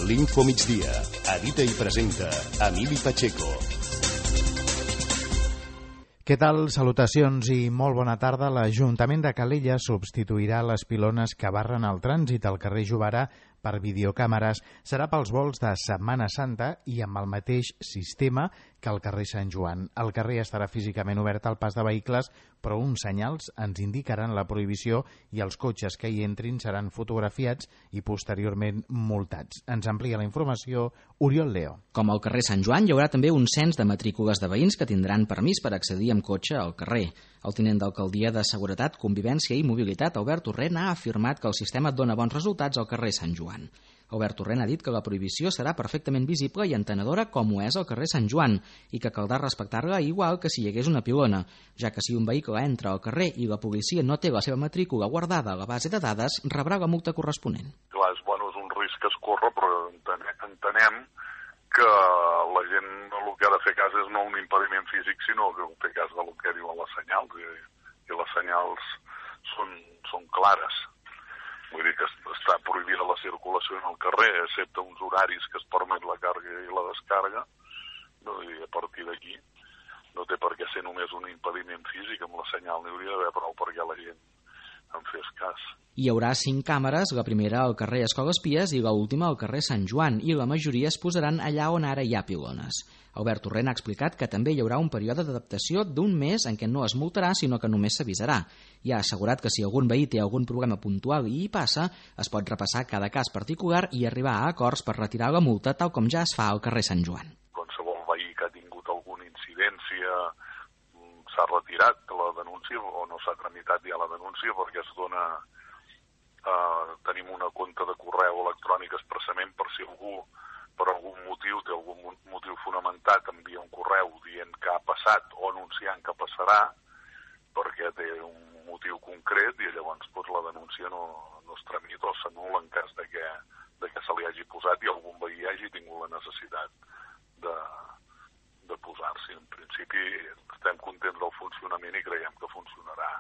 L'Info Migdia. Edita i presenta Emili Pacheco. Què tal? Salutacions i molt bona tarda. L'Ajuntament de Calella substituirà les pilones que barren el trànsit al carrer Jovara per videocàmeres. Serà pels vols de Setmana Santa i amb el mateix sistema que al carrer Sant Joan. El carrer estarà físicament obert al pas de vehicles, però uns senyals ens indicaran la prohibició i els cotxes que hi entrin seran fotografiats i posteriorment multats. Ens amplia la informació Oriol Leo. Com al carrer Sant Joan, hi haurà també un cens de matrícules de veïns que tindran permís per accedir amb cotxe al carrer. El tinent d'alcaldia de Seguretat, Convivència i Mobilitat, Albert Torrent, ha afirmat que el sistema dona bons resultats al carrer Sant Joan. Albert Torrent ha dit que la prohibició serà perfectament visible i entenedora com ho és al carrer Sant Joan i que caldrà respectar-la igual que si hi hagués una pilona, ja que si un vehicle entra al carrer i la policia no té la seva matrícula guardada a la base de dades, rebrà la multa corresponent. Clar, és un risc que es corre, però entenem que la gent el que ha de fer cas és no un impediment físic, sinó que fer cas del que diuen les senyals, i les senyals són clares. Vull dir que està prohibida la circulació en el carrer, excepte uns horaris que es permet la càrrega i la descàrrega, i a partir d'aquí no té per què ser només un impediment físic, amb la senyal n'hi hauria d'haver prou perquè la gent en fes cas. Hi haurà 5 càmeres, la primera al carrer Escoles Pies i l'última al carrer Sant Joan, i la majoria es posaran allà on ara hi ha pilones. Albert Torrent ha explicat que també hi haurà un període d'adaptació d'un mes en què no es multarà, sinó que només s'avisarà. I ha assegurat que si algun veí té algun problema puntual i hi passa, es pot repassar cada cas particular i arribar a acords per retirar la multa, tal com ja es fa al carrer Sant Joan. Qualsevol veí que ha tingut alguna incidència s'ha retirat la denúncia o no s'ha tramitat ja la denúncia perquè es dona... tenim una compte de correu electrònic expressament per si algú per algun motiu té algun motiu fonamentat, envia un correu dient que ha passat o anunciant que passarà perquè té un motiu concret i llavors la denúncia no es tramita o s'anul·la en cas de que se li hagi posat i algun veí hagi tingut la necessitat de posar-s'hi. En principi estem contents del funcionament i creiem que funcionarà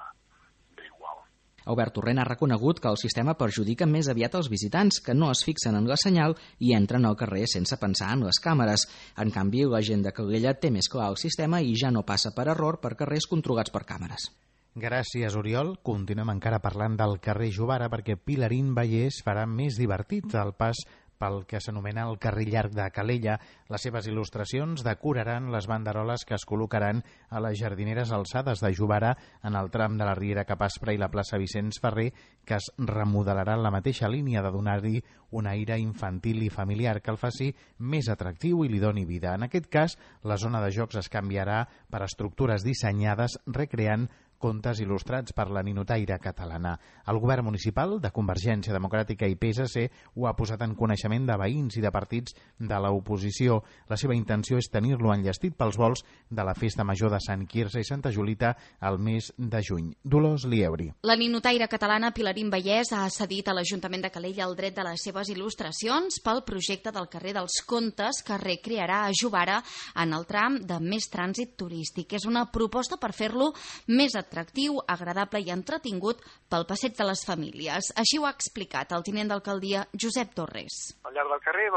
bé igual. Albert Torrent ha reconegut que el sistema perjudica més aviat els visitants, que no es fixen en la senyal i entren al carrer sense pensar en les càmeres. En canvi, la gent de Calella té més clar el sistema i ja no passa per error per carrers controlats per càmeres. Gràcies, Oriol. Continuem encara parlant del carrer Jovara perquè Pilarín Vallès farà més divertit el pas pel que s'anomena el carrer llarg de Calella. Les seves il·lustracions decoraran les banderoles que es col·locaran a les jardineres alçades de Jovara en el tram de la Riera Cap Aspra i la plaça Vicenç Ferrer, que es remodelarà en la mateixa línia de donar-hi un aire infantil i familiar que el faci més atractiu i li doni vida. En aquest cas, la zona de jocs es canviarà per estructures dissenyades recreant contes il·lustrats per la ninotaire catalana. El govern municipal de Convergència Democràtica i PSC ho ha posat en coneixement de veïns i de partits de l'oposició. La seva intenció és tenir-lo enllestit pels vols de la Festa Major de Sant Quirze i Santa Julita al mes de juny. Dolors Lieuri. La ninotaire catalana Pilarín Vallès ha cedit a l'Ajuntament de Calella el dret de les seves il·lustracions pel projecte del carrer dels Contes que recrearà a Jovara en el tram de més trànsit turístic. És una proposta per fer-lo més atractiu, agradable i entretingut pel passeig de les famílies. Així ho ha explicat el tinent d'alcaldia Josep Torres. Al llarg del carrer,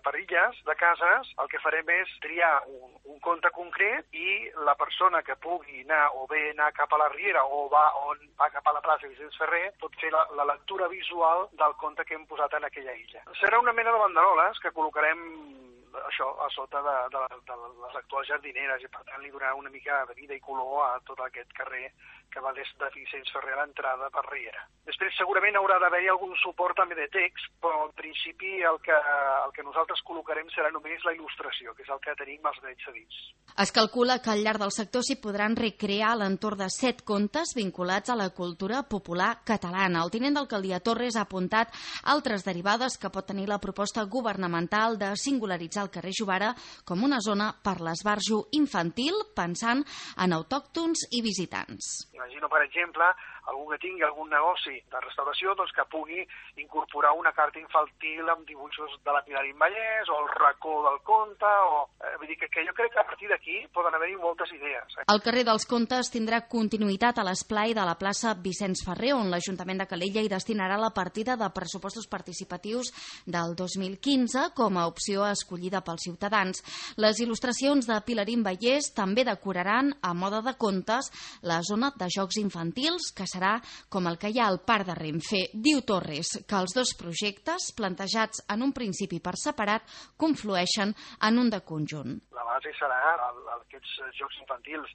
per illes de cases, el que farem és triar un conte concret i la persona que pugui anar o bé anar cap a la Riera o va cap a la plaça Vicenç Ferrer pot fer la lectura visual del conte que hem posat en aquella illa. Serà una mena de banderoles que col·locarem això a sota de les actuals jardineres i per tant li donarà una mica de vida i color a tot aquest carrer que va des de Vicenç Ferrer a l'entrada per Riera. Després segurament haurà d'haver-hi algun suport també de text, però en principi el que nosaltres col·locarem serà només la il·lustració, que és el que tenim els drets cedits. Es calcula que al llarg del sector s'hi podran recrear a l'entorn de 7 contes vinculats a la cultura popular catalana. El tinent d'alcaldia Torres ha apuntat altres derivades que pot tenir la proposta governamental de singularitzar el carrer Jovara com una zona per l'esbarjo infantil pensant en autòctons i visitants. Imagino, per exemple, algú que tingui algun negoci de restauració doncs que pugui incorporar una carta infantil amb dibuixos de la Pilarín Vallès o el racó del conte, vull dir que jo crec que a partir d'aquí poden haver-hi moltes idees. El carrer dels Contes tindrà continuïtat a l'esplai de la plaça Vicenç Ferrer, on l'Ajuntament de Calella hi destinarà la partida de pressupostos participatius del 2015 com a opció escollida pels ciutadans. Les il·lustracions de Pilarín Vallès també decoraran a moda de contes la zona de jocs infantils, que serà com el que hi ha al Parc de Renfe. Diu Torres que els dos projectes, plantejats en un principi per separat, conflueixen en un de conjunt. La base serà aquests jocs infantils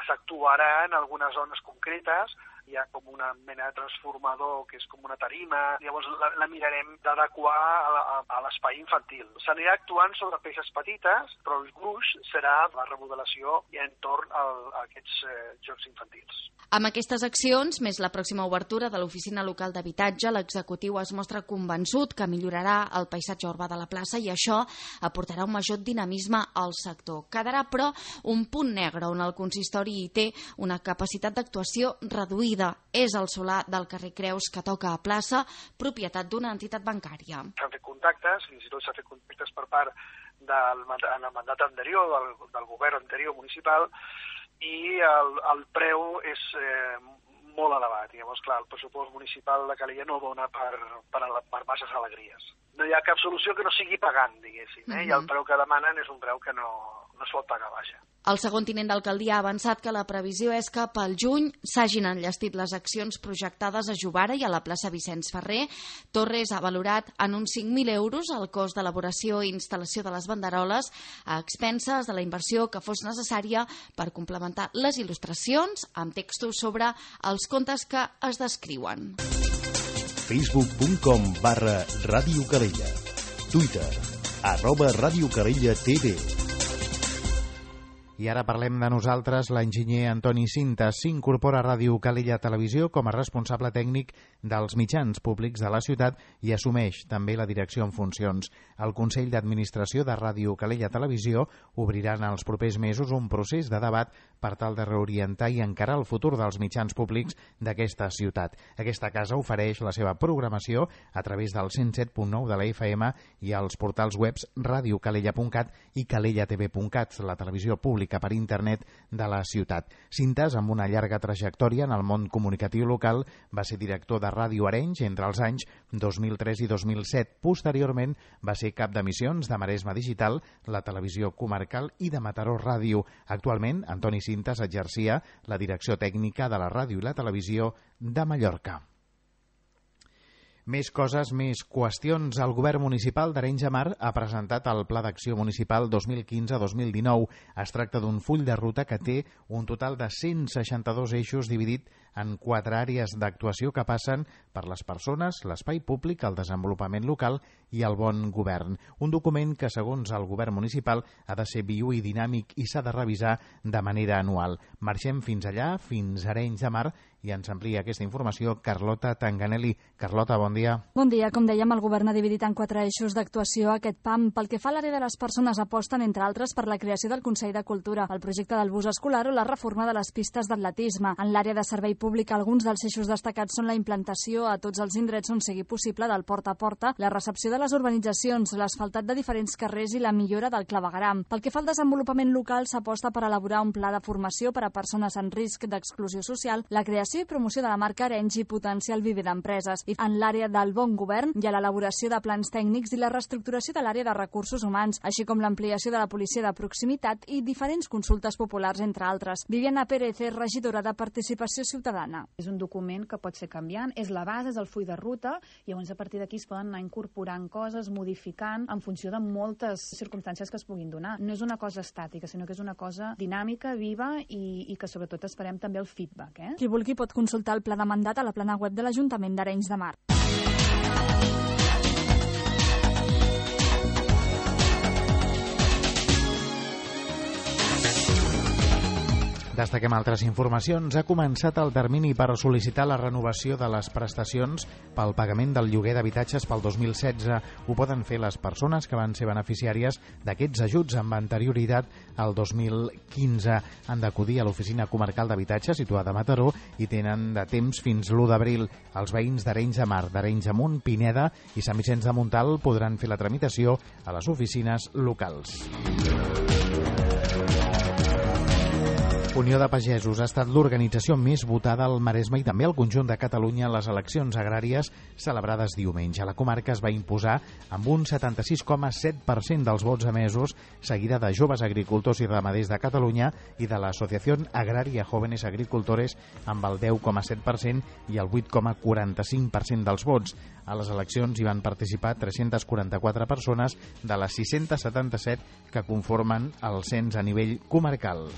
s'actuaran en algunes zones concretes, hi ha com una mena de transformador que és com una tarima, llavors la mirarem d'adequar a l'espai infantil. S'anirà actuant sobre peces petites, però el gruix serà la remodelació entorn a aquests jocs infantils. Amb aquestes accions, més la pròxima obertura de l'oficina local d'habitatge, l'executiu es mostra convençut que millorarà el paisatge urbà de la plaça i això aportarà un major dinamisme al sector. Quedarà, però, un punt negre on el consistori hi té una capacitat d'actuació reduïda. És el solar del carrer Creus que toca a plaça, propietat d'una entitat bancària. S'han fet contactes, fins i tot s'han fet contactes per part en el mandat anterior, del govern anterior municipal, i el preu és molt elevat. Llavors, clar, el pressupost municipal de Calella no dona per masses alegries. No hi ha cap solució que no sigui pagant, diguéssim, i el preu que demanen és un preu que no es pot pagar, vaja. El segon tinent d'alcaldia ha avançat que la previsió és que pel juny s'hagin enllestit les accions projectades a Jovara i a la plaça Vicenç Ferrer. Torres ha valorat en uns 5.000 euros el cost d'elaboració i instal·lació de les banderoles a expenses de la inversió que fos necessària per complementar les il·lustracions amb textos sobre els contes que es descriuen. Facebook.com/Ràdio Calella. Twitter @Ràdio Calella TV. I ara parlem de nosaltres. L'enginyer Antoni Cintas s'incorpora a Ràdio Calella Televisió com a responsable tècnic dels mitjans públics de la ciutat i assumeix també la direcció en funcions. El Consell d'Administració de Ràdio Calella Televisió obrirà en els propers mesos un procés de debat per tal de reorientar i encarar el futur dels mitjans públics d'aquesta ciutat. Aquesta casa ofereix la seva programació a través del 107.9 de la FM i als portals webs radiocalella.cat i calellatv.cat, la televisió pública per internet de la ciutat. Cintas, amb una llarga trajectòria en el món comunicatiu local, va ser director de Ràdio Arenys entre els anys 2003 i 2007. Posteriorment va ser cap d'emissions de Maresme Digital, la televisió comarcal i de Mataró Ràdio. Actualment, Antoni Cintas exercia la direcció tècnica de la ràdio i la televisió de Mallorca. Més coses, més qüestions. El govern municipal d'Arenys de Mar ha presentat el Pla d'Acció Municipal 2015-2019. Es tracta d'un full de ruta que té un total de 162 eixos dividit en 4 àrees d'actuació que passen per les persones, l'espai públic, el desenvolupament local i el bon govern. Un document que, segons el govern municipal, ha de ser viu i dinàmic i s'ha de revisar de manera anual. Marxem fins allà, fins a Arenys de Mar, i ens amplia aquesta informació Carlota Tanganelli. Carlota, bon dia. Bon dia. Com dèiem, el govern ha dividit en 4 eixos d'actuació aquest PAM. Pel que fa a l'àrea de les persones, aposten, entre altres, per la creació del Consell de Cultura, el projecte del bus escolar o la reforma de les pistes d'atletisme. En l'àrea de servei públic, alguns dels eixos destacats són la implantació a tots els indrets on sigui possible del porta a porta, la recepció de les urbanitzacions, l'asfaltat de diferents carrers i la millora del clavegueram. Pel que fa al desenvolupament local, s'aposta per elaborar un pla de formació per a persones en risc d'exclusió social, la creació i promoció de la marca Arenys i potenciar el viver d'empreses. I en l'àrea del bon govern hi ha l'elaboració de plans tècnics i la reestructuració de l'àrea de recursos humans, així com l'ampliació de la policia de proximitat i diferents consultes populars, entre altres. Viviana Pérez és regidora de Participació Ciutadana. És un document que pot ser canviant, és la base, és el full de ruta, i llavors a partir d'aquí es poden anar incorporant coses, modificant en funció de moltes circumstàncies que es puguin donar. No és una cosa estàtica, sinó que és una cosa dinàmica, viva i que sobretot esperem també el feedback. Qui vulgui pot consultar el pla de mandat a la plana web de l'Ajuntament d'Arenys de Mar. Destaquem altres informacions. Ha començat el termini per sol·licitar la renovació de les prestacions pel pagament del lloguer d'habitatges pel 2016. Ho poden fer les persones que van ser beneficiàries d'aquests ajuts amb anterioritat al 2015. Han d'acudir a l'Oficina Comarcal d'Habitatge situada a Mataró i tenen de temps fins l'1 d'abril. Els veïns d'Arenys de Mar, d'Arenys de Munt, Pineda i Sant Vicenç de Montalt podran fer la tramitació a les oficines locals. Unió de Pagesos ha estat l'organització més votada al Maresme i també al conjunt de Catalunya en les eleccions agràries celebrades diumenge. La comarca es va imposar amb un 76,7% dels vots emesos, seguida de Joves Agricultors i Ramaders de Catalunya i de l'Associació Agrària Jóvenes Agricultores amb el 10,7% i el 8,45% dels vots. A les eleccions hi van participar 344 persones de les 677 que conformen el cens a nivell comarcal.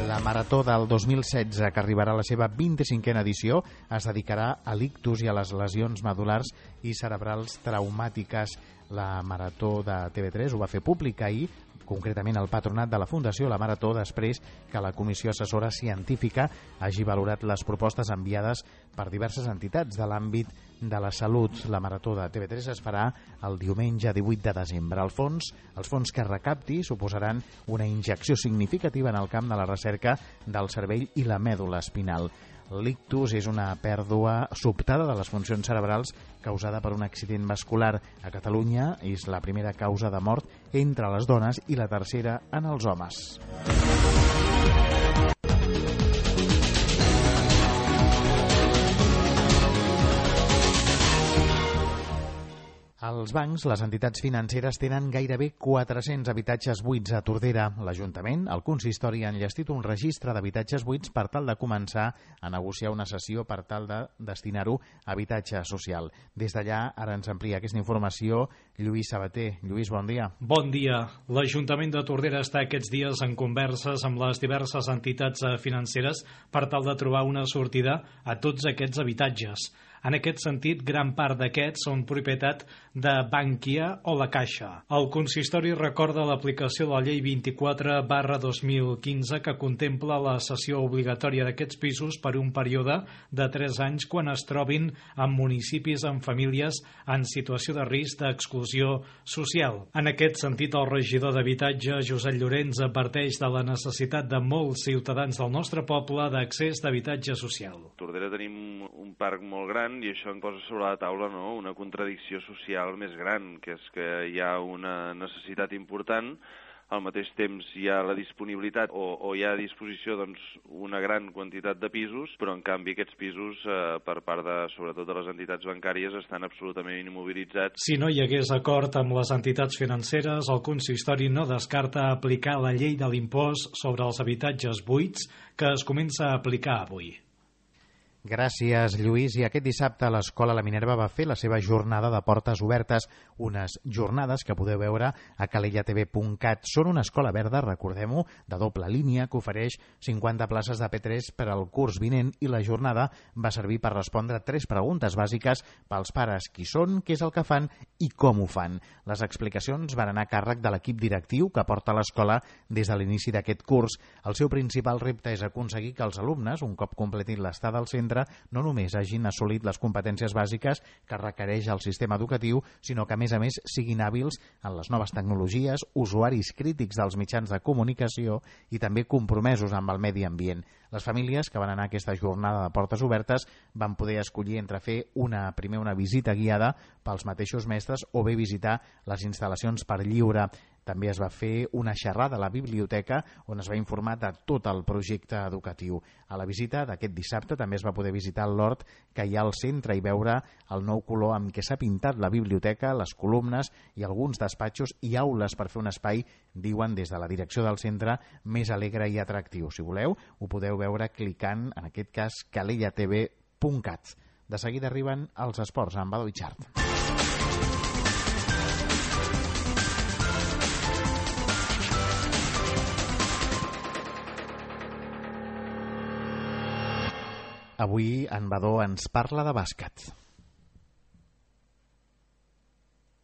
La Marató del 2016, que arribarà a la seva 25a edició, es dedicarà a l'ictus i a les lesions medul·lars i cerebrals traumàtiques. La Marató de TV3 ho va fer públic ahir, concretament el patronat de la Fundació La Marató, després que la Comissió Assessora Científica hagi valorat les propostes enviades per diverses entitats de l'àmbit de la salut. La Marató de TV3 es farà el diumenge 18 de desembre. Els fons que recapti suposaran una injecció significativa en el camp de la recerca del cervell i la mèdula espinal. L'ictus és una pèrdua sobtada de les funcions cerebrals causada per un accident vascular. A Catalunya és la primera causa de mort entre les dones i la tercera en els homes. Els bancs, les entitats financeres, tenen gairebé 400 habitatges buits a Tordera. L'Ajuntament, el consistori, ha enllestit un registre d'habitatges buits per tal de començar a negociar una cessió per tal de destinar-ho a habitatge social. Des d'allà, ara ens amplia aquesta informació Lluís Sabater. Lluís, bon dia. Bon dia. L'Ajuntament de Tordera està aquests dies en converses amb les diverses entitats financeres per tal de trobar una sortida a tots aquests habitatges. En aquest sentit, gran part d'aquests són propietat de Bankia o la Caixa. El consistori recorda l'aplicació de la llei 24/2015 que contempla la cessió obligatòria d'aquests pisos per un període de 3 anys quan es trobin en municipis amb famílies en situació de risc d'exclusió social. En aquest sentit, el regidor d'Habitatge, Josep Llorenç, adverteix de la necessitat de molts ciutadans del nostre poble d'accés d'habitatge social. A Tordera tenim un parc molt gran i això em posa sobre la taula, no?, una contradicció social més gran, que és que hi ha una necessitat important, al mateix temps hi ha la disponibilitat o hi ha a disposició doncs, una gran quantitat de pisos, però en canvi aquests pisos per part sobretot de les entitats bancàries estan absolutament immobilitzats. Si no hi hagués acord amb les entitats financeres, el consistori no descarta aplicar la llei de l'impost sobre els habitatges buits que es comença a aplicar avui. Gràcies, Lluís. I aquest dissabte l'Escola La Minerva va fer la seva jornada de portes obertes, unes jornades que podeu veure a calellatv.cat. Són una escola verda, recordem-ho, de doble línia, que ofereix 50 places de P3 per al curs vinent, i la jornada va servir per respondre 3 preguntes bàsiques pels pares: qui són, què és el que fan i com ho fan. Les explicacions van anar a càrrec de l'equip directiu que porta l'escola des de l'inici d'aquest curs. El seu principal repte és aconseguir que els alumnes, un cop completin l'estada al centre, no només hagin assolit les competències bàsiques que requereix el sistema educatiu, sinó que, a més, siguin hàbils en les noves tecnologies, usuaris crítics dels mitjans de comunicació i també compromesos amb el medi ambient. Les famílies que van anar a aquesta jornada de portes obertes van poder escollir entre fer primer una visita guiada pels mateixos mestres o bé visitar les instal·lacions per lliure. També es va fer una xerrada a la biblioteca on es va informar de tot el projecte educatiu. A la visita d'aquest dissabte també es va poder visitar l'hort que hi ha al centre i veure el nou color amb què s'ha pintat la biblioteca, les columnes i alguns despatxos i aules per fer un espai, diuen des de la direcció del centre, més alegre i atractiu. Si voleu, ho podeu veure clicant, en aquest cas, calellatv.cat. De seguida arriben els esports amb Badó Ichart. Avui en Badó ens parla de bàsquet.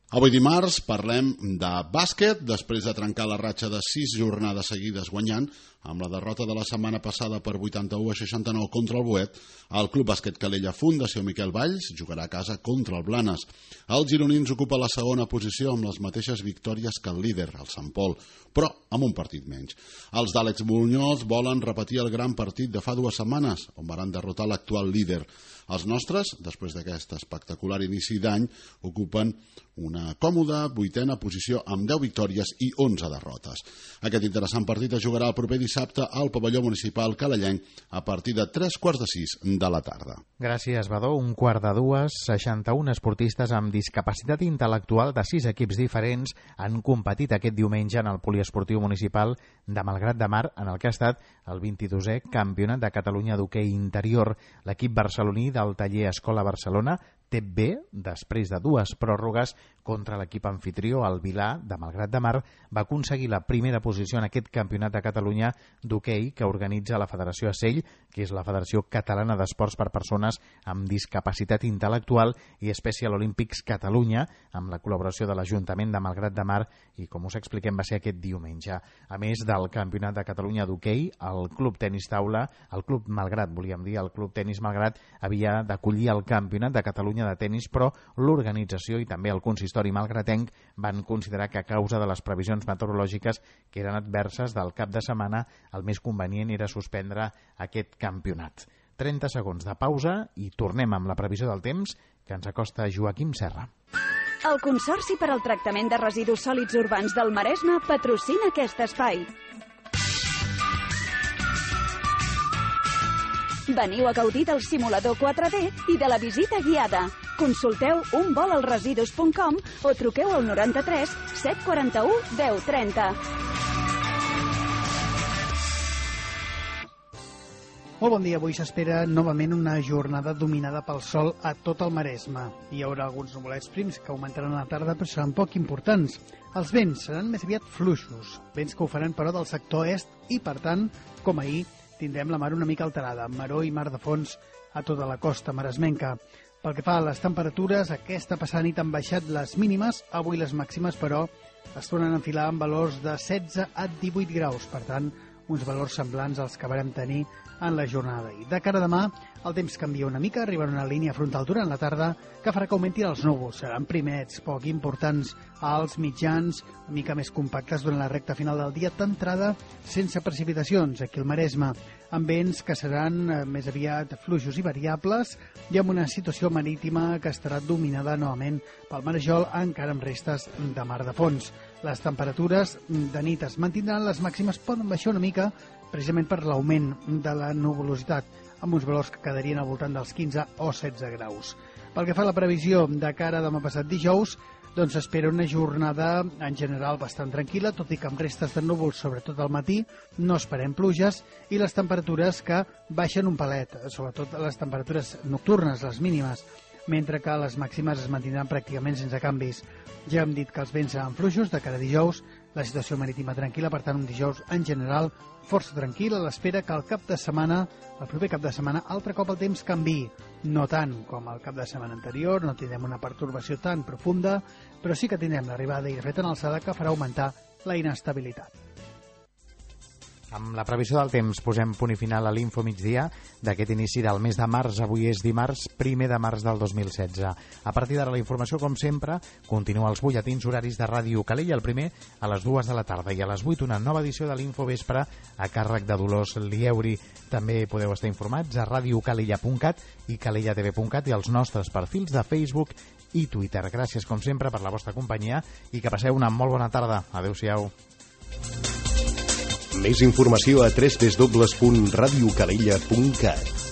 Avui dimarts parlem de bàsquet, després de trencar la ratxa de 6 jornades seguides guanyant, amb la derrota de la setmana passada per 81-69 contra el Boet, el Club Bàsquet Calella Fundació Miquel Valls jugarà a casa contra el Blanes. Els gironins ocupa la segona posició amb les mateixes victòries que el líder, el Sant Pol, però amb un partit menys. Els d'Àlex Muñoz volen repetir el gran partit de fa 2 setmanes, on van derrotar l'actual líder. Els nostres, després d'aquest espectacular inici d'any, ocupen una còmoda 8a posició amb 10 victòries i 11 derrotes. Aquest interessant partit es jugarà el proper dissabte al pavelló municipal calellenc a partir de 3:45 de la tarda. Gràcies, Badó. 1:45, 61 esportistes amb discapacitat intel·lectual de 6 equips diferents han competit aquest diumenge en el poliesportiu municipal de Malgrat de Mar, en el que ha estat el 22è Campionat de Catalunya d'hoquei interior. L'equip barceloní del taller Escola Barcelona té bé, després de 2 pròrrogues contra l'equip anfitrió, el Vilà, de Malgrat de Mar, va aconseguir la primera posició en aquest Campionat de Catalunya d'hoquei que organitza la Federació ACEIL, que és la Federació Catalana d'Esports per Persones amb Discapacitat Intel·lectual, i Special Olympics Catalunya, amb la col·laboració de l'Ajuntament de Malgrat de Mar, i com us expliquem va ser aquest diumenge. A més del Campionat de Catalunya d'hoquei, el Club Tenis Taula, el Club Malgrat, volíem dir, el Club Tenis Malgrat, havia d'acollir el Campionat de Catalunya de tenis, però l'organització i també el consistori malgratenc van considerar que a causa de les previsions meteorològiques que eren adverses del cap de setmana, el més convenient era suspendre aquest campionat. 30 segons de pausa i tornem amb la previsió del temps que ens acosta Joaquim Serra. El Consorci per al Tractament de Residus Sòlids Urbans del Maresme patrocina aquest espai. Veniu a gaudir del simulador 4D i de la visita guiada. Consulteu unvolalresidus.com o truqueu al 93 741 1030. Molt bon dia. Avui s'espera novament una jornada dominada pel sol a tot el Maresme. Hi haurà alguns nuvolets prims que augmentaran a la tarda, però seran poc importants. Els vents seran més aviat fluixos, vents que ho faran però del sector est i, per tant, com ahir, tindrem la mar una mica alterada, amb maror i mar de fons a tota la costa maresmenca. Pel que fa a les temperatures, aquesta passada nit han baixat les mínimes, avui les màximes, però es tornen a enfilar amb valors de 16 a 18 graus, per tant, uns valors semblants als que varem tenir en la jornada. I de cara a demà, el temps canvia una mica, arribarà una línia frontal durant la tarda que farà que augmentin els núvols. Seran primets, poc importants, alts, mitjans, una mica més compactes durant la recta final del dia, d'entrada sense precipitacions aquí al Maresme, amb vents que seran més aviat fluixos i variables i amb una situació marítima que estarà dominada novament pel marejol, encara amb restes de mar de fons. Les temperatures de nit es mantindran, les màximes poden baixar una mica precisament per l'augment de la nuvolositat, amb uns valors que quedarien al voltant dels 15 o 16 graus. Pel que fa a la previsió de cara a demà passat dijous, doncs s'espera una jornada en general bastant tranquil·la, tot i que amb restes de núvols, sobretot al matí, no esperem pluges, i les temperatures que baixen un palet, sobretot les temperatures nocturnes, les mínimes, mentre que les màximes es mantindran pràcticament sense canvis. Ja hem dit que els vents seran fluixos de cara a dijous, la situació marítima tranquil·la, per tant un dijous en general força tranquil, a l'espera que el proper cap de setmana, altre cop el temps canviï. No tant com el cap de setmana anterior, no tindrem una pertorbació tan profunda, però sí que tindrem l'arribada i de fet en alçada que farà augmentar la inestabilitat. Amb la previsió del temps posem punt i final a l'Info Migdia d'aquest inici del mes de març. Avui és dimarts 1 de març del 2016. A partir d'ara la informació, com sempre, continua als butlletins horaris de Ràdio Calella, el primer a les 2 de la tarda i a les 8 una nova edició de l'Info Vespre a càrrec de Dolors Lieuri. També podeu estar informats a radiocalella.cat i calellatv.cat i als nostres perfils de Facebook i Twitter. Gràcies, com sempre, per la vostra companyia i que passeu una molt bona tarda. Adéu-siau. Més informació a www.radiocalella.cat.